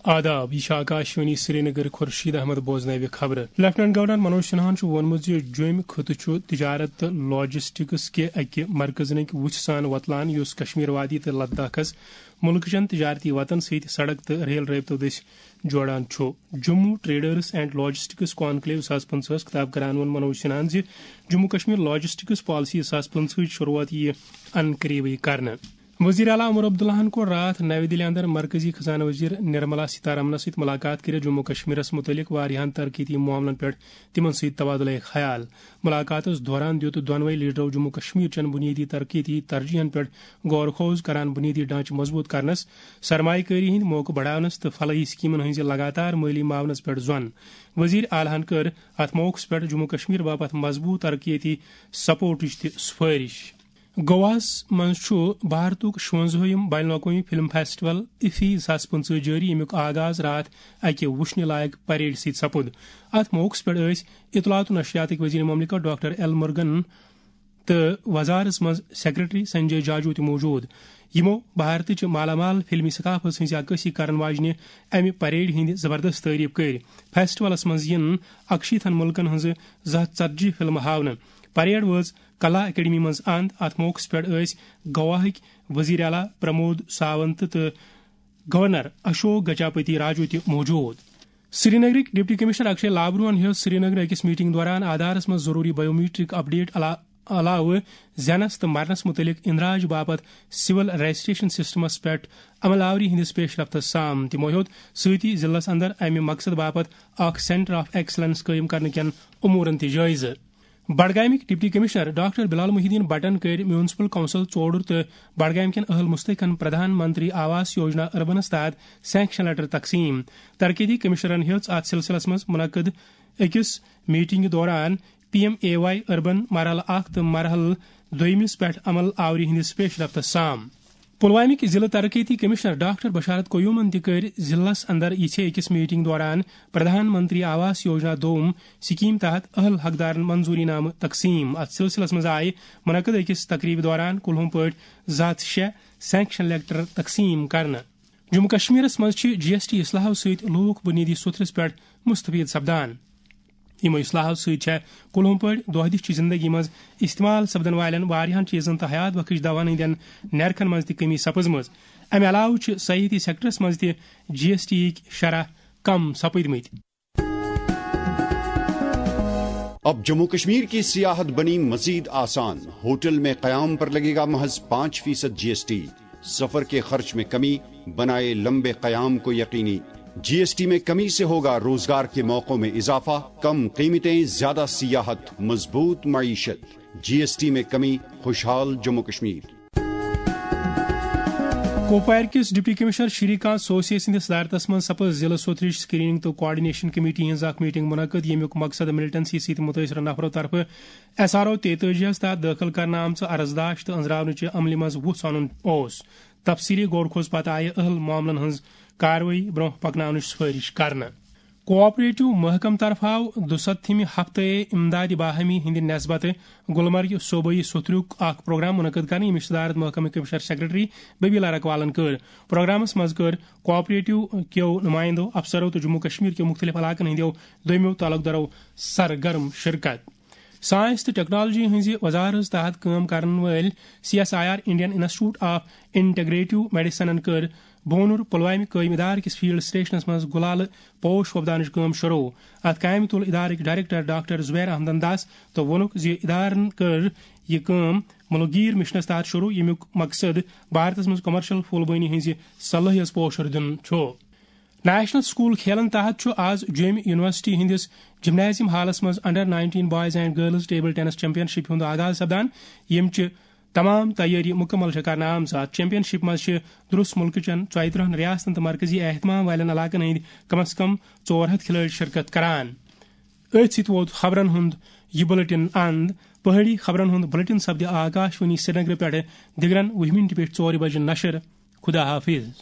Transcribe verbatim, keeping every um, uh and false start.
آداب، یہِ چھِ آکاشوانی سرینگر۔ خورشید احمد بوزناوِ خبرٕ۔ لیفٹیننٹ گورنر منوج سنہاہن چھُ ووٚنمُت زِ جوٚمۍ خطہٕ چھُ تجارت تہٕ لاجسٹکس کہِ اَکہِ مرکزٕنٕکۍ وُژھِ سان وۄتلان، یُس کشمیر وادی تہٕ لداخس مُلکہٕ چٮ۪ن تجارتی وتن سۭتۍ سڑک تہٕ ریل رٲبطو دٔسۍ جوڑان چھُ۔ Jammu traders and logistics conclave زٕ ساس پٕنٛژٕہس خطاب کران ووٚن منوج سنہاہن زِ جموں کشمیر لاجسٹکس پالیسی زٕ ساس پٕنٛژٕہٕچ شروعات یِیہِ ان قریبٕے کرنہٕ۔ وزیر اعلیٰ عمر عبداللہن کوٚر راتھ نوِ دِلہِ اندر مرکزی خزانہٕ وزیر نرملا سیتارمنس سۭتۍ ملاقات کٔرِتھ جموں کشمیرس متعلق واریاہن ترقیتی معاملن پٮ۪ٹھ تِمن سۭتۍ تبادلہ خیال۔ ملاقاتس دوران دیُت دۄنوے لیڈرو جموں کشمیر چٮ۪ن بنیٲدی ترقیتی ترجیحن پٮ۪ٹھ غور خوض کران، بنیٲدی ڈھانچہٕ مضبوط کرنس، سرمایہ کٲری ہٕنٛدۍ موقعہٕ بڑاونس تہٕ فلاحی سکیمن ہٕنٛزِ لگاتار مٲلی معاونس پٮ۪ٹھ زۄن۔ وزیر اعلیٰ ہن کٔر اتھ موقعس پٮ۪ٹھ جموں کشمیر باپتھ مضبوط ترقیتی سپورٹٕچ تہِ سفٲرش۔ گواہس منٛز چھُ بھارتُک شُونٛزٲہِم بین الاقوٲمی فلم فیسٹیول افی زٕ ساس پٕنٛژٕہ جٲری، ییٚمیُک آغاز راتھ اکہِ وٕچھنہِ لایق پریڈ سۭتۍ سپُد۔ اتھ موقعس پٮ۪ٹھ ٲسۍ اطلاعات و نشریاتٕکۍ وزیر مملکت ڈاکٹر ایل مرگن تہٕ وزارس منٛز سیکرٹری سنجے جاجو تہِ موجود، یِمو بھارتٕچ مالا مال فلمی ثقافت ہٕنٛز عکٲسی کرن واجنہِ امہِ پریڈ ہٕنٛدِ زبردست تعریف کٔرۍ۔ فیسٹیولس منٛز یِن اکشیتھن مُلکن ہٕنٛزٕ زٕ ہتھ ژتجی فلمہٕ ہاونہٕ۔ پریڈ وٲژ کلا اکیڈمی منٛز اند۔ اتھ موقعس پٮ۪ٹھ ٲسۍ گواہٕکۍ وزیر اعلیٰ پرمود ساونت تہٕ گورنر اشوک گجاپتی راجو تہِ موجود۔ سرینگرٕکۍ ڈپٹی کمشنر اکشے لابروہن ہیوٚت سرینگرٕ أکِس میٹنگ دوران آدھارس منٛز ضروٗری بایومیٹرک اپڈیٹ علا-، علاوٕ زینس تہٕ مرنس متعلق اندراج باپتھ سول رجسٹریشن سسٹمس پٮ۪ٹھ عمل آوری ہٕنٛدِس پیش رفتس سام۔ تِمو ہیوٚت سۭتی ضلعس اندر امہِ مقصد باپتھ اکھ سینٹر آف ایکسلنس قٲیِم کرنہٕ کٮ۪ن امورن تہِ جٲیزٕ۔ بڈگامٕکۍ ڈپٹی کمشنر ڈاکٹر بلال محی الدین بٹن کٔرۍ میونسپل کونسل ژوڈُر تہٕ بڈگام کٮ۪ن اہل مستحقن پردھان منتری آواس یوجنا اربنس تحت سینکشن لیٹر تقسیم۔ ترقیتی کمشنرن ہیٔژ اتھ سلسلس منٛز منعقد أکِس میٹنگہِ دوران P M A Y urban مرحلہٕ اکھ تہٕ مرحلہٕ دویمِس پٮ۪ٹھ عمل آوری ہٕنٛدِس پیش رفتس سام۔ پلوامٕکۍ ضلع ترقیتی کمشنر ڈاکٹر بشارت قیومن تہِ کٔرۍ ضلعس اندر یِژھے أکِس میٹنگ دوران پردھان منتری آواس یوجنا دوم سکیم تحت اہل حقدارن منظوری نامہٕ تقسیم۔ اتھ سلسلس منٛز آیہِ منعقد أکِس تقریبہِ دوران کُلہُم پٲٹھۍ زٕ ہتھ شےٚ سینکشن لیٹر تقسیم کرنہٕ۔ جموں کشمیرس منٛز چھِ جی ایس ٹی اصلاحو سۭتۍ لوٗکھ بُنیٲدی سوٚتھرس پٮ۪ٹھ مستفید سپدان۔ یِمو اصلاحو سۭتۍ چھےٚ کُلہُم پٲٹھۍ دۄہ دِش چہِ زندگی منٛز استعمال سپدن والٮ۪ن واریاہن چیزن تہٕ حیات بخش دواہن ہٕنٛدٮ۪ن نرخن منٛز تہِ کمی سپٕزمٕژ۔ امہِ علاوٕ چھِ سیاحتی سیکٹرس منٛز تہِ جی ایس ٹی یِکۍ شرح کم سپٕدمٕتۍ۔ اب جموں کشمیر کی سیاحت بنی مزید آسان، ہوٹل میں قیام پر لگے گا محض پانچ فیصد جی ایس ٹی، سفر کے خرچ میں کمی، بنائے لمبے قیام کو یقینی۔ جی ایس ٹی میں کمی سے ہوگا روزگار کے موقعوں میں اضافہ، کم قیمتیں، زیادہ سیاحت، مضبوط معیشت۔ جی ایس ٹی میں کمی، خوشحال جموں کشمیر۔ کوپوارِ کِس ڈپٹی کمشنر شری کانت سوسے سٕنٛدِس صدارتس منٛز سپٕز ضلعہٕ سوٚتھرِچ سکریننگ تہٕ کوآرڈینیشن کمیٹی ہٕنٛز اکھ میٹنگ منعقد، ییٚمیُک مقصد ملٹنسی سۭتۍ متٲثرٕ نفرو طرفہٕ ایس آر او تیتٲجی ہس تحت دٲخل کرنہٕ آمژٕ عرضداشت تہٕ أنٛزراونٕچہِ عملہِ منٛز وُژھ اَنُن اوس۔ تفصیلی غور خوض پتہٕ آیہِ اہل معاملن ہٕنٛز کاروٲیی برونٛہہ پکناونٕچ سفٲرش کرنہٕ۔ کوآپریٹو محکمہٕ طرفہٕ آو دُستتھمہِ ہفتہٕ امدادِ باہمی ہٕنٛدِ نسبتہٕ گلمرگہِ صوبٲئی سوٚتھرُک اکھ پروگرام منعقد کرنہٕ، ییٚمِچ صدارت محکمہٕ کمشنر سیکرٹری ببیلا رکوالن کٔر۔ پروگرامس منٛز کٔر کوآپریٹو کیو نمائندو، افسرو تہٕ جموں کشمیر کیو مختلف علاقن ہٕنٛدیو دوٚیمو تعلق دارو سرگرم شرکت۔ ساینس تہٕ ٹیکنالوجی ہٕنٛزِ وزارت تحت کٲم کرن وٲلۍ C S I R Indian institute of integrative میڈیسنن کٔر بونُر پلوامہِ قٲیمہٕ ادارٕ کِس فیلڈ سٹیشنس منٛز گُلالہٕ پوش وۄپداونٕچ کٲم شروع۔ اتھ کامہِ تُل ادارٕکۍ ڈائریکٹر ڈاکٹر زبیر احمدن دس تہٕ ووٚنُکھ زِ ادارن کٔر یہِ کٲم ملکگیر مشنس تحت شروع، ییٚمیُک مقصد بھارتس منٛز کمرشل پھول بٲنی ہٕنٛزِ صلٲحیژ پوشر دیُن چھُ۔ نیشنل سکول کھیلن تحت چھُ آز جوٚمہِ یونیورسٹی ہٕنٛدِس جمنازیم ہالس منٛز under nineteen boys and girls table tennis championship ہُنٛد آغاز سپدان، ییٚمہِ چہِ تمام تیٲری مکمل چھےٚ کرنہٕ آمژٕ۔ اتھ چیمپین شپ منٛز چھِ درست ملکہٕ چٮ۪ن ژۄیہِ ترٕٛہن ریاستن تہٕ مرکزی اہتمام والٮ۪ن علاقن ہٕنٛدۍ کم از کم ژور ہتھ کھلٲڑۍ شرکت کران۔ أتھۍ سۭتۍ ووت خبرن ہُنٛد یہِ بلیٹن اند۔ پہٲڑی خبرن ہُنٛد بلیٹن سپدِ آکاشوانی سرینگرٕ پٮ۪ٹھٕ دِگرن وُہہِ مِنٹہِ پٮ۪ٹھ ژورِ بجہِ نشر۔ خدا حافظ۔